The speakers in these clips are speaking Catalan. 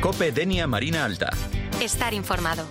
COPE Denia Marina Alta. Estar informado.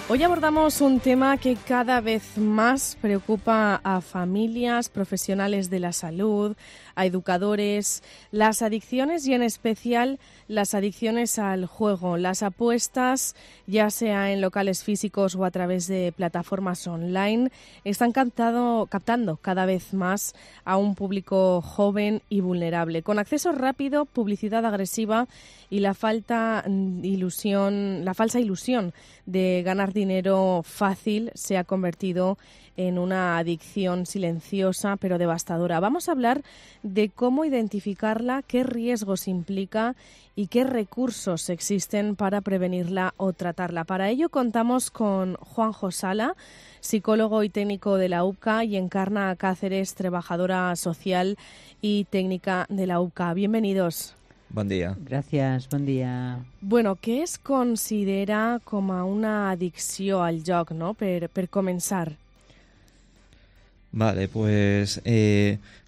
Hoy abordamos un tema que cada vez más preocupa a familias, profesionales de la salud, a educadores, las adicciones y en especial las adicciones al juego, las apuestas, ya sea en locales físicos o a través de plataformas online, están captando cada vez más a un público joven y vulnerable, con acceso rápido, publicidad agresiva y la falsa ilusión de ganar dinero fácil se ha convertido en una adicción silenciosa pero devastadora. Vamos a hablar de cómo identificarla, qué riesgos implica y qué recursos existen para prevenirla o tratarla. Para ello contamos con Juanjo Sala, psicólogo y técnico de la UPCA, y Encarna Cáceres, trabajadora social y técnica de la UPCA. Bienvenidos. Bon dia. Gràcies, bon dia. Bueno, què es considera com a una addicció al joc, no? Per començar. Vale, pues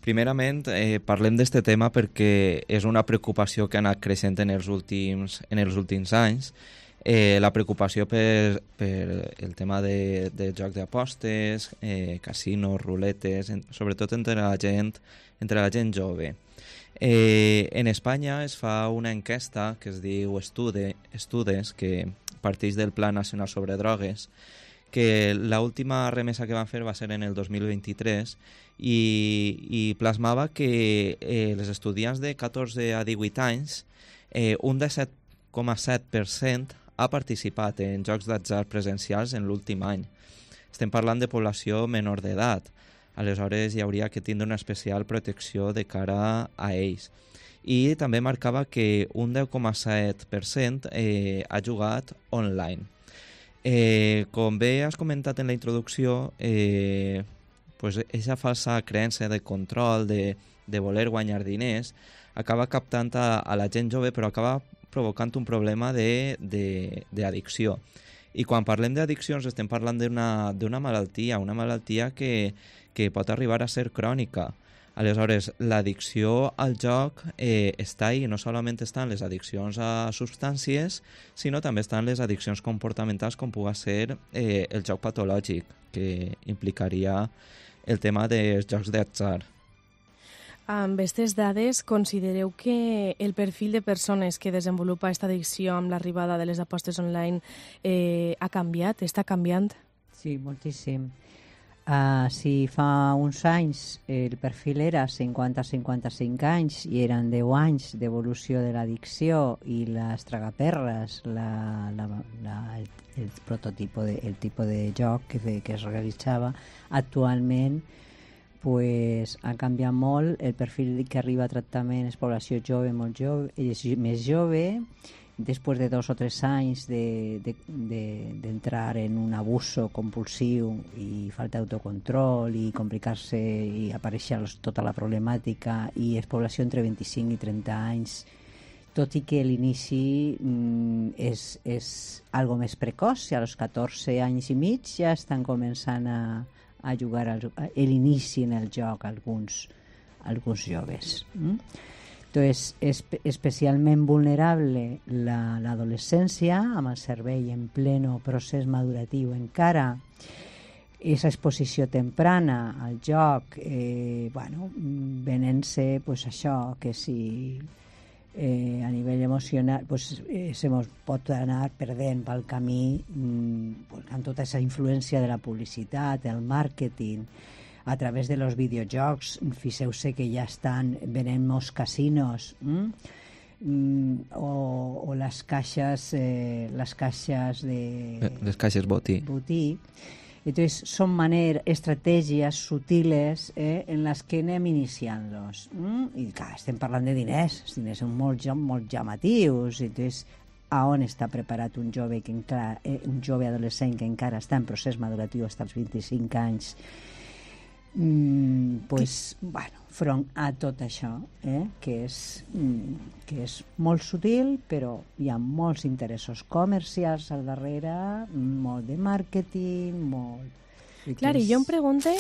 primerament parlem d'este tema perquè és una preocupació que ha anat creixent en els últims anys. La preocupació per el tema de joc d'apostes, casinos, ruletes, sobretot entre la gent jove. En Espanya es fa una enquesta que es diu Estudes, que parteix del Pla Nacional sobre Drogues, que l'última remesa que van fer va ser en el 2023 i plasmava que els estudiants de 14 a 18 anys, un 17,7% ha participat en jocs d'atzar presencials en l'últim any. Estem parlant de població menor d'edat. Aleshores hi hauria que tindre una especial protecció de cara a ells. I també marcava que un 10,7% ha jugat online. Com bé has comentat en la introducció, pues aquesta falsa creença de control, de voler guanyar diners, acaba captant a la gent jove, però acaba provocant un problema d'addicció. I quan parlem d'addiccions estem parlant d'una malaltia que pot arribar a ser crònica. Aleshores, l'addicció al joc està ahí, no solament estan les addiccions a substàncies, sinó també estan les addiccions comportamentals, com pugui ser el joc patològic, que implicaria el tema dels jocs d'atzar. Amb aquestes dades, considereu que el perfil de persones que desenvolupa aquesta addicció amb l'arribada de les apostes online ha canviat, està canviant? Sí, moltíssim. Si fa uns anys el perfil era 50-55 anys i eren 10 anys d'evolució de l'addicció i les tragaperres, el tipus de joc que es realitzava, actualment pues, ha canviat molt. El perfil que arriba a tractament és població jove, molt jove, és més jove. Després de 2 o 3 anys d'entrar en un abuso compulsiu i falta d'autocontrol i complicar-se i aparèixer tota la problemàtica, i és població entre 25 i 30 anys, tot i que l'inici és algo més precoç, i a los 14 anys i mig ja estan començant a jugar l'inici en el joc alguns joves. Entonces, és especialment vulnerable l'adolescència, amb el cervell en pleno procés maduratiu encara. Aquesta exposició temprana al joc, venent-se pues, això, que si a nivell emocional se mos pot anar perdent pel camí amb tota aquesta influència de la publicitat, el màrqueting, a través de los videojocs. Fixeu-se que ja estan venent molts casinos, o les caixes botí. Entonces son estrategies sutiles en les que anem iniciant-los. I clar, estem parlant de diners. Els diners són molt llamatius. Entonces, a on està preparat un jove adolescent que encara està en procés maduratiu fins als 25 anys? Front a tot això, que és molt sutil, però hi ha molts interessos comercials al darrere, molt de màrqueting, molt... Clar, i jo em pregunto,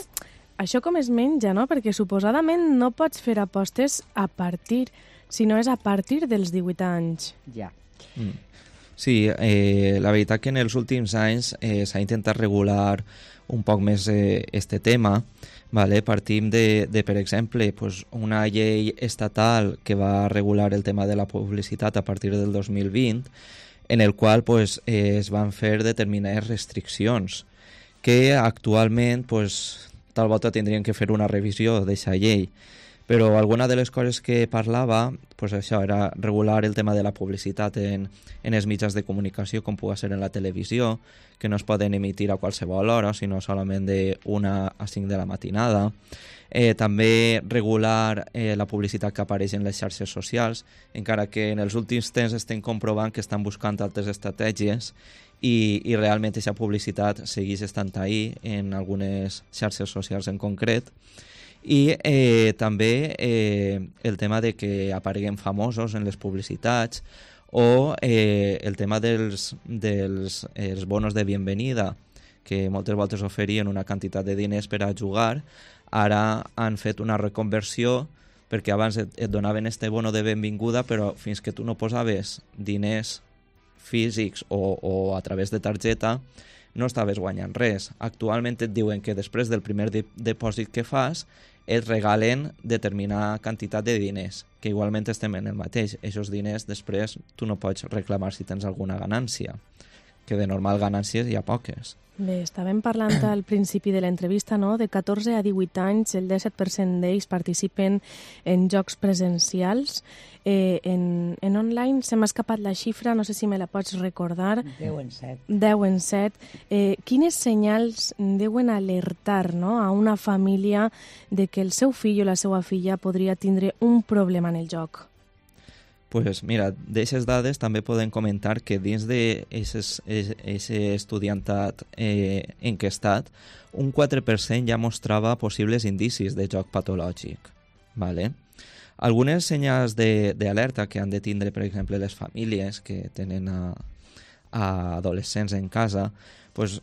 això com es menja, no? Perquè suposadament no pots fer apostes a partir sinó és a partir dels 18 anys. Ja. Sí, la veritat que en els últims anys s'ha intentat regular un poc més este tema. Vale? Partim de, per exemple, pues, una llei estatal que va regular el tema de la publicitat a partir del 2020, en el qual pues, es van fer determinades restriccions que actualment pues, tal volta tindrien que fer una revisió d'aquesta llei. Però alguna de les coses que parlava, pues això era regular el tema de la publicitat en els mitjans de comunicació, com pugui ser en la televisió, que no es poden emitir a qualsevol hora, sinó solament de 1 a 5 de la matinada. També regular la publicitat que apareix en les xarxes socials, encara que en els últims temps estem comprovant que estan buscant altres estratègies i realment aquesta publicitat segueix estant ahí en algunes xarxes socials en concret. I també el tema de que apareguen famosos en les publicitats o el tema dels els bonos de bienvenida, que moltes voltes oferien una quantitat de diners per a jugar. Ara han fet una reconversió perquè abans et donaven este bono de benvinguda, però fins que tu no posaves diners físics o a través de targeta no estaves guanyant res. Actualment et diuen que després del primer depòsit que fas et regalen determinada quantitat de diners, que igualment estem en el mateix. Aquests diners després tu no pots reclamar si tens alguna ganància, que de normal ganàncies hi ha poques. Bé, estàvem parlant al principi de l'entrevista, no? De 14 a 18 anys, el 17% d'ells participen en jocs presencials. En online se m'ha escapat la xifra, no sé si me la pots recordar. 10 en 7. 10 en 7. Quines senyals deuen alertar, no, a una família de que el seu fill o la seva filla podria tindre un problema en el joc? Pues mira, d'aquestes dades també podem comentar que dins d'aquest estudiantat enquestat, un 4% ja mostrava possibles indicis de joc patològic. Vale? Algunes senyals d'alerta que han de tindre, per exemple, les famílies que tenen a adolescents en casa, pues,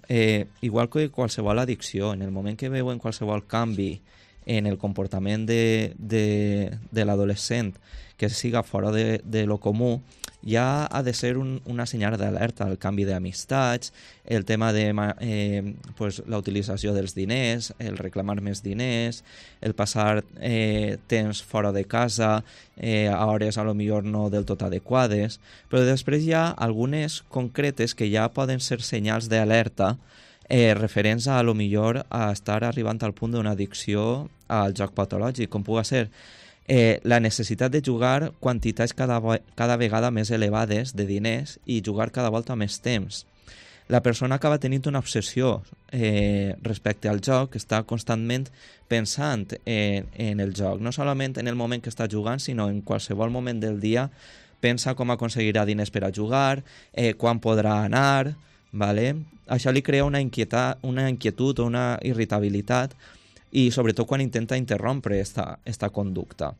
igual que qualsevol addicció, en el moment que veuen qualsevol canvi en el comportament de l'adolescent que siga fora de lo comú, ja ha de ser una senyal d'alerta, el canvi d'amistats, el tema de pues, la utilització dels diners, el reclamar més diners, el passar temps fora de casa a hores a lo millor no del tot adequades, però després hi ha algunes concretes que ja poden ser senyals d'alerta referents a lo millor a estar arribant al punt d'una addicció al joc patològic, com pugui ser la necessitat de jugar quantitats cada vegada més elevades de diners i jugar cada volta més temps. La persona acaba tenint una obsessió respecte al joc, està constantment pensant en el joc, no solament en el moment que està jugant, sinó en qualsevol moment del dia pensa com aconseguirà diners per a jugar, quan podrà anar, ¿vale? Això li crea una inquietud o una irritabilitat i sobretot quan intenta interrompre esta conducta.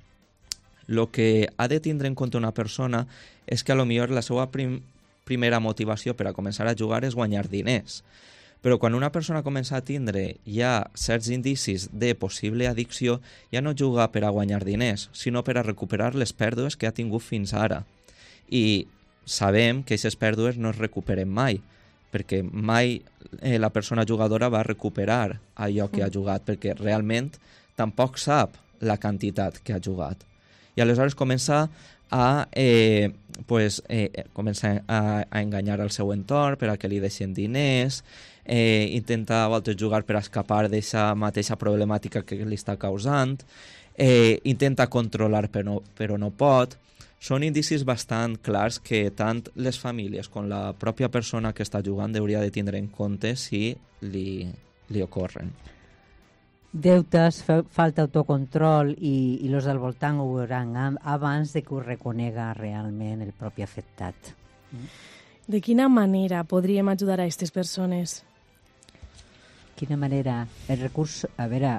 Lo que ha de tindre en compte una persona és que a lo millor la seva primera motivació per a començar a jugar és guanyar diners. Però quan una persona comença a tindre ja certs indicis de possible addicció, ja no juga per a guanyar diners, sinó per a recuperar les pèrdues que ha tingut fins ara. I sabem que aquestes pèrdues no es recuperen mai, perquè mai la persona jugadora va recuperar allò que ha jugat, perquè realment tampoc sap la quantitat que ha jugat. I aleshores comença a enganyar el seu entorn per a que li deixen diners, intenta a voltes jugar per escapar d'aquesta mateixa problemàtica que li està causant, intenta controlar però no pot. Són indicis bastant clars que tant les famílies com la pròpia persona que està jugant hauria de tindre en compte si li ocorren. Deutes, falta autocontrol i los del voltant ho veuran abans de que ho reconega realment el propi afectat. De quina manera podríem ajudar a aquestes persones? Quina manera? El recurs, a veure,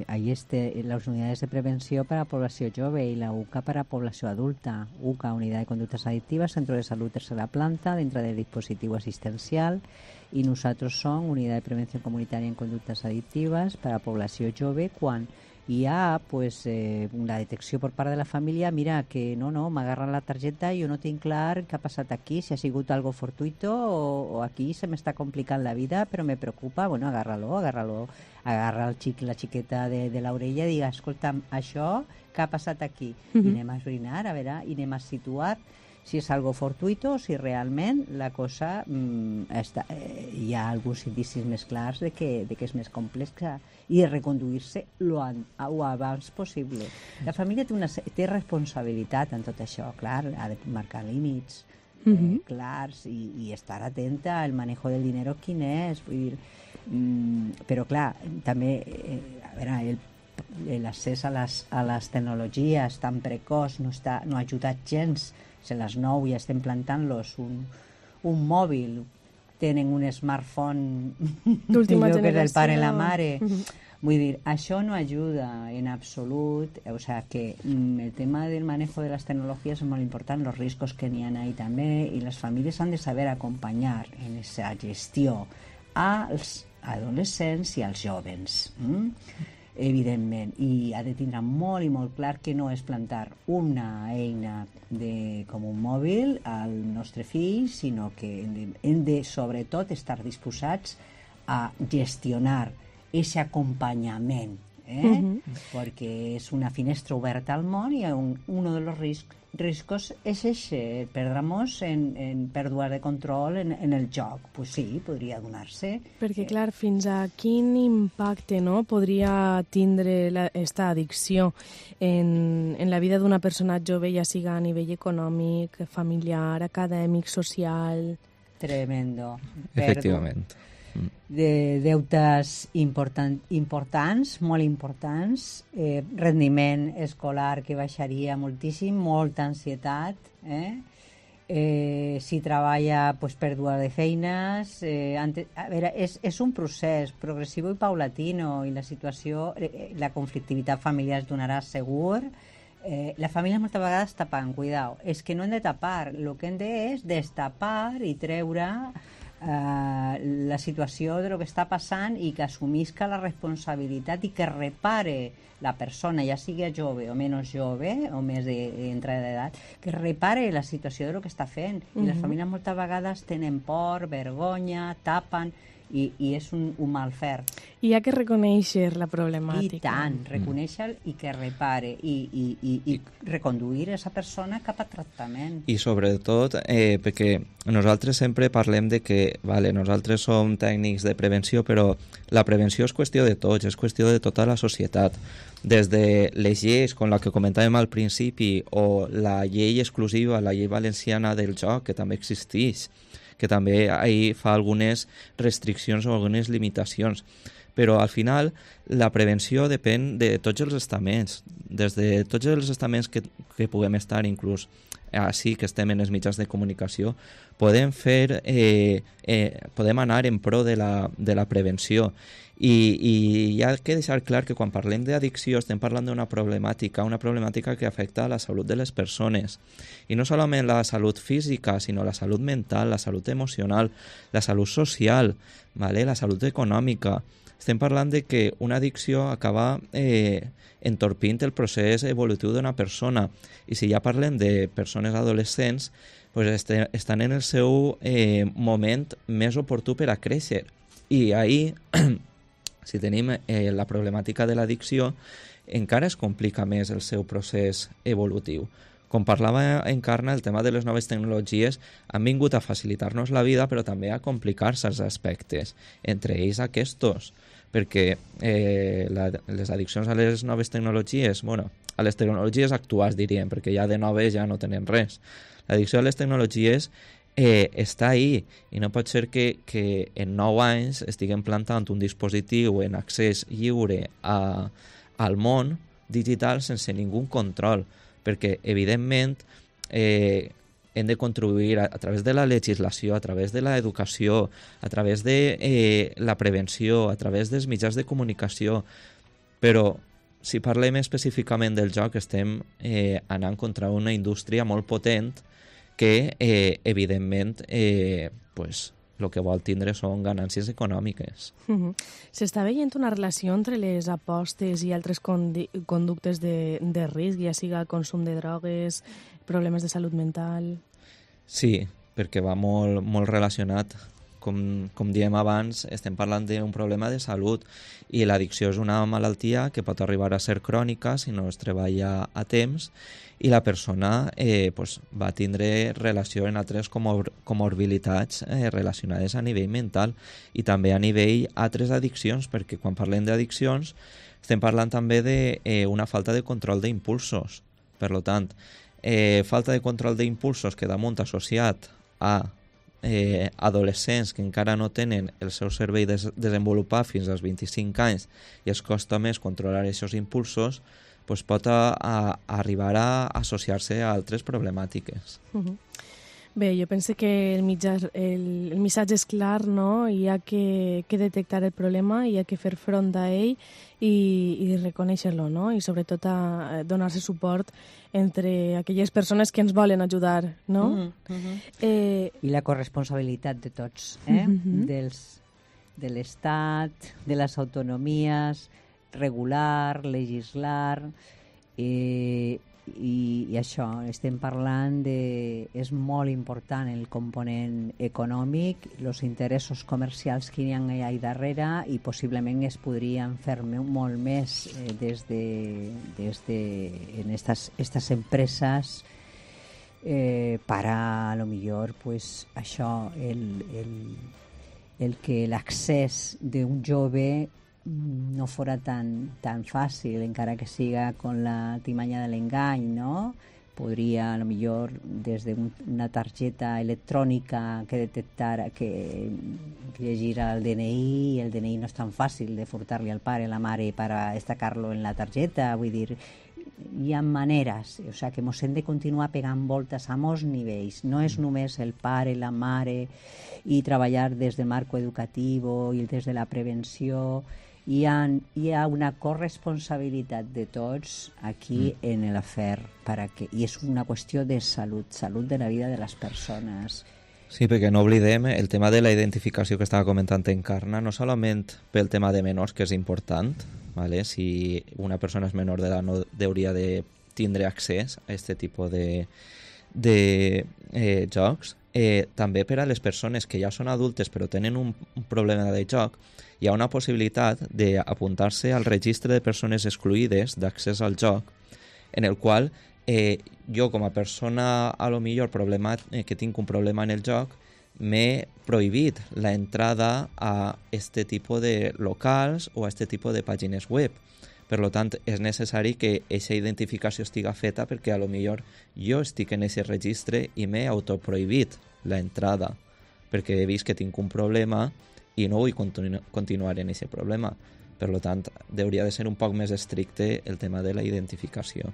ahí les unidades de prevenció per a població jove i la UCA per a població adulta. UCA, Unitat de Conductes Adictives, Centro de Salut Tercera Planta, dintre del dispositiu assistencial, i nosaltres som Unitat de Prevenció Comunitària en Conductes Adictives per a població jove quan hi ha pues, la detecció per part de la família, mira, que no, m'agarren la targeta, jo no tinc clar què ha passat aquí, si ha sigut algo fortuito o aquí se m'està complicant la vida, però me preocupa, bueno, agarra la xiqueta de l'orella i diga, escolta'm, això què ha passat aquí? I anem a esbrinar, a veure, i anem a situar si és algo fortuito o si realment la cosa hi ha alguns indicis més clars de que és més complexa i de reconduir-se lo abans possible. La família té responsabilitat en tot això, clar, ha de marcar límits clars i estar atenta al manejo del dinero quin és, vull dir, però clar, també a veure, l'accés a les tecnologies tan precoç no ha ajudat gens. A les 9 ja estem plantant-los un mòbil, tenen un smartphone d'última millor que del generació. pare i la mare. Vull dir, això no ajuda en absolut, o sea que el tema del manejo de les tecnologies és molt important, los riscos que n'hi ha ahí també, i les famílies han de saber acompanyar en aquesta gestió als adolescents i als jovens. Evidentment, i ha de tindre molt i molt clar que no és plantar una eina com un mòbil al nostre fill, sinó que hem de sobretot estar disposats a gestionar aquest acompanyament, perquè és una finestra oberta al món i un dels riscos és ese, perdre-nos en pèrdua de control en el joc. Pues sí, podria donar-se. Perquè, clar, fins a quin impacte podria tindre aquesta addicció en la vida d'una persona jove, ja siga a nivell econòmic, familiar, acadèmic, social? Tremendo. Efectivament. De deutes importants, molt importants, rendiment escolar que baixaria moltíssim, molta ansietat, si treballa pues, pèrdua de feines, a veure, és un procés progressiu i paulatino, i la situació, la conflictivitat familiar es donarà segur. La família moltes vegades tapen, cuidao, és que no hem de tapar, el que hem de és destapar i treure la situació de lo que està passant i que assumisca la responsabilitat i que repare la persona, ja sigui jove o menys jove o més d'entrada d'edat, que repare la situació de lo que està fent. I les famílies moltes vegades tenen por, vergonya, tapen i és un mal fer. I hi ha que reconèixer la problemàtica. I tant, reconèixer i que repare i reconduir a aquesta persona cap a tractament. I sobretot, perquè nosaltres sempre parlem de que nosaltres som tècnics de prevenció, però la prevenció és qüestió de tots, és qüestió de tota la societat. Des de les lleis, com la que comentàvem al principi, o la llei exclusiva, la llei valenciana del joc, que també existeix, que també ahí fa algunes restriccions o algunes limitacions. Però al final la prevenció depèn de tots els estaments, des de tots els estaments que puguem estar, inclús així que estem en els mitjans de comunicació, podem anar en pro de la prevenció. I hi ha que deixar clar que quan parlem d'addicció estem parlant d'una problemàtica que afecta a la salut de les persones. I no solament la salut física, sinó la salut mental, la salut emocional, la salut social, la salut econòmica. Estem parlant de que una addicció acaba entorpint el procés evolutiu d'una persona. I si ja parlem de persones adolescents, pues estan en el seu moment més oportú per a créixer. I ahir, si tenim la problemàtica de l'addicció, encara es complica més el seu procés evolutiu. Com parlava Encarna, el tema de les noves tecnologies han vingut a facilitar-nos la vida, però també a complicar certs aspectes, entre ells aquests, perquè les addiccions a les noves tecnologies, a les tecnologies actuals diríem, perquè ja de noves ja no tenen res. L'addicció a les tecnologies està ahí i no pot ser que en 9 anys estiguem plantant un dispositiu en accés lliure al món digital sense ningú control, perquè evidentment hem de contribuir a través de la legislació, a través de l'educació, a través de la prevenció, a través dels mitjans de comunicació, però si parlem específicament del joc estem anant contra una indústria molt potent que evidentment el que vol tindre són ganàncies econòmiques. S'està veient una relació entre les apostes i altres conductes de risc, ja siga consum de drogues, problemes de salut mental... Sí, perquè va molt relacionat. Com diem abans, estem parlant d'un problema de salut i l'addicció és una malaltia que pot arribar a ser crònica si no es treballa a temps i la persona va tindre relació en altres comorbilitats relacionades a nivell mental i també a nivell altres addiccions, perquè quan parlem d'addiccions estem parlant també d'una falta de control d'impulsos. Per tant, falta de control d'impulsos que damunt associat a adolescents que encara no tenen el seu cervell desenvolupat fins als 25 anys i es costa més controlar aquests impulsos, pot arribar a associar-se a altres problemàtiques. Bé, jo penso que el missatge és clar, no? Hi ha que detectar el problema, hi ha que fer front a ell i reconèixer-lo, no? I sobretot a donar-se suport entre aquelles persones que ens volen ajudar, no? I la corresponsabilitat de tots, de l'Estat, de les autonomies, regular, legislar, i això, estem parlant és molt important el component econòmic, els interessos comercials que hi ha allà darrere i possiblement es podrien fer molt més en estas empreses para a lo millor pues això, el que l'accés d'un jove no fora tan fàcil, encara que siga con la timanya de l'engany, no? Podria, a lo millor, des d'una targeta electrònica que detectara, que llegirà el DNI, i el DNI no és tan fàcil de furtar-li al pare, la mare, per destacar-lo en la targeta, vull dir, hi ha maneres, o sigui que ens hem de continuar pegant voltes a molts nivells, no és només el pare, la mare, i treballar des del marc educatiu i des de la prevenció. Hi ha una corresponsabilitat de tots aquí en l'afer, i és una qüestió de salut de la vida de les persones. Sí, perquè no oblidem el tema de la identificació que estava comentant Encarna, no solament pel tema de menors, que és important, ¿vale? Si una persona és menor d'edat no hauria de tindre accés a aquest tipus de jocs, també per a les persones que ja són adultes però tenen un problema de joc, hi ha una possibilitat d'apuntar-se al registre de persones excluïdes d'accés al joc, en el qual jo com a persona a lo millor que tinc un problema en el joc m'he prohibit la entrada a este tipus de locals o a este tipus de pàgines web. Per tant, és necessari que aquesta identificació estiga feta perquè a lo millor jo estic en aquest registre i m'he autoprohibit la entrada perquè he vist que tinc un problema i no vull continuar en aquest problema. Per tant, hauria de ser un poc més estricte el tema de la identificació.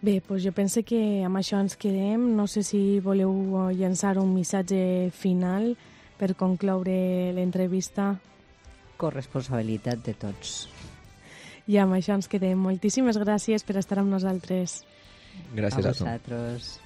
Bé, doncs jo penso que amb això ens quedem. No sé si voleu llançar un missatge final per concloure l'entrevista. Corresponsabilitat de tots. I amb això ens quedem. Moltíssimes gràcies per estar amb nosaltres. Gràcies a tu. A vosaltres.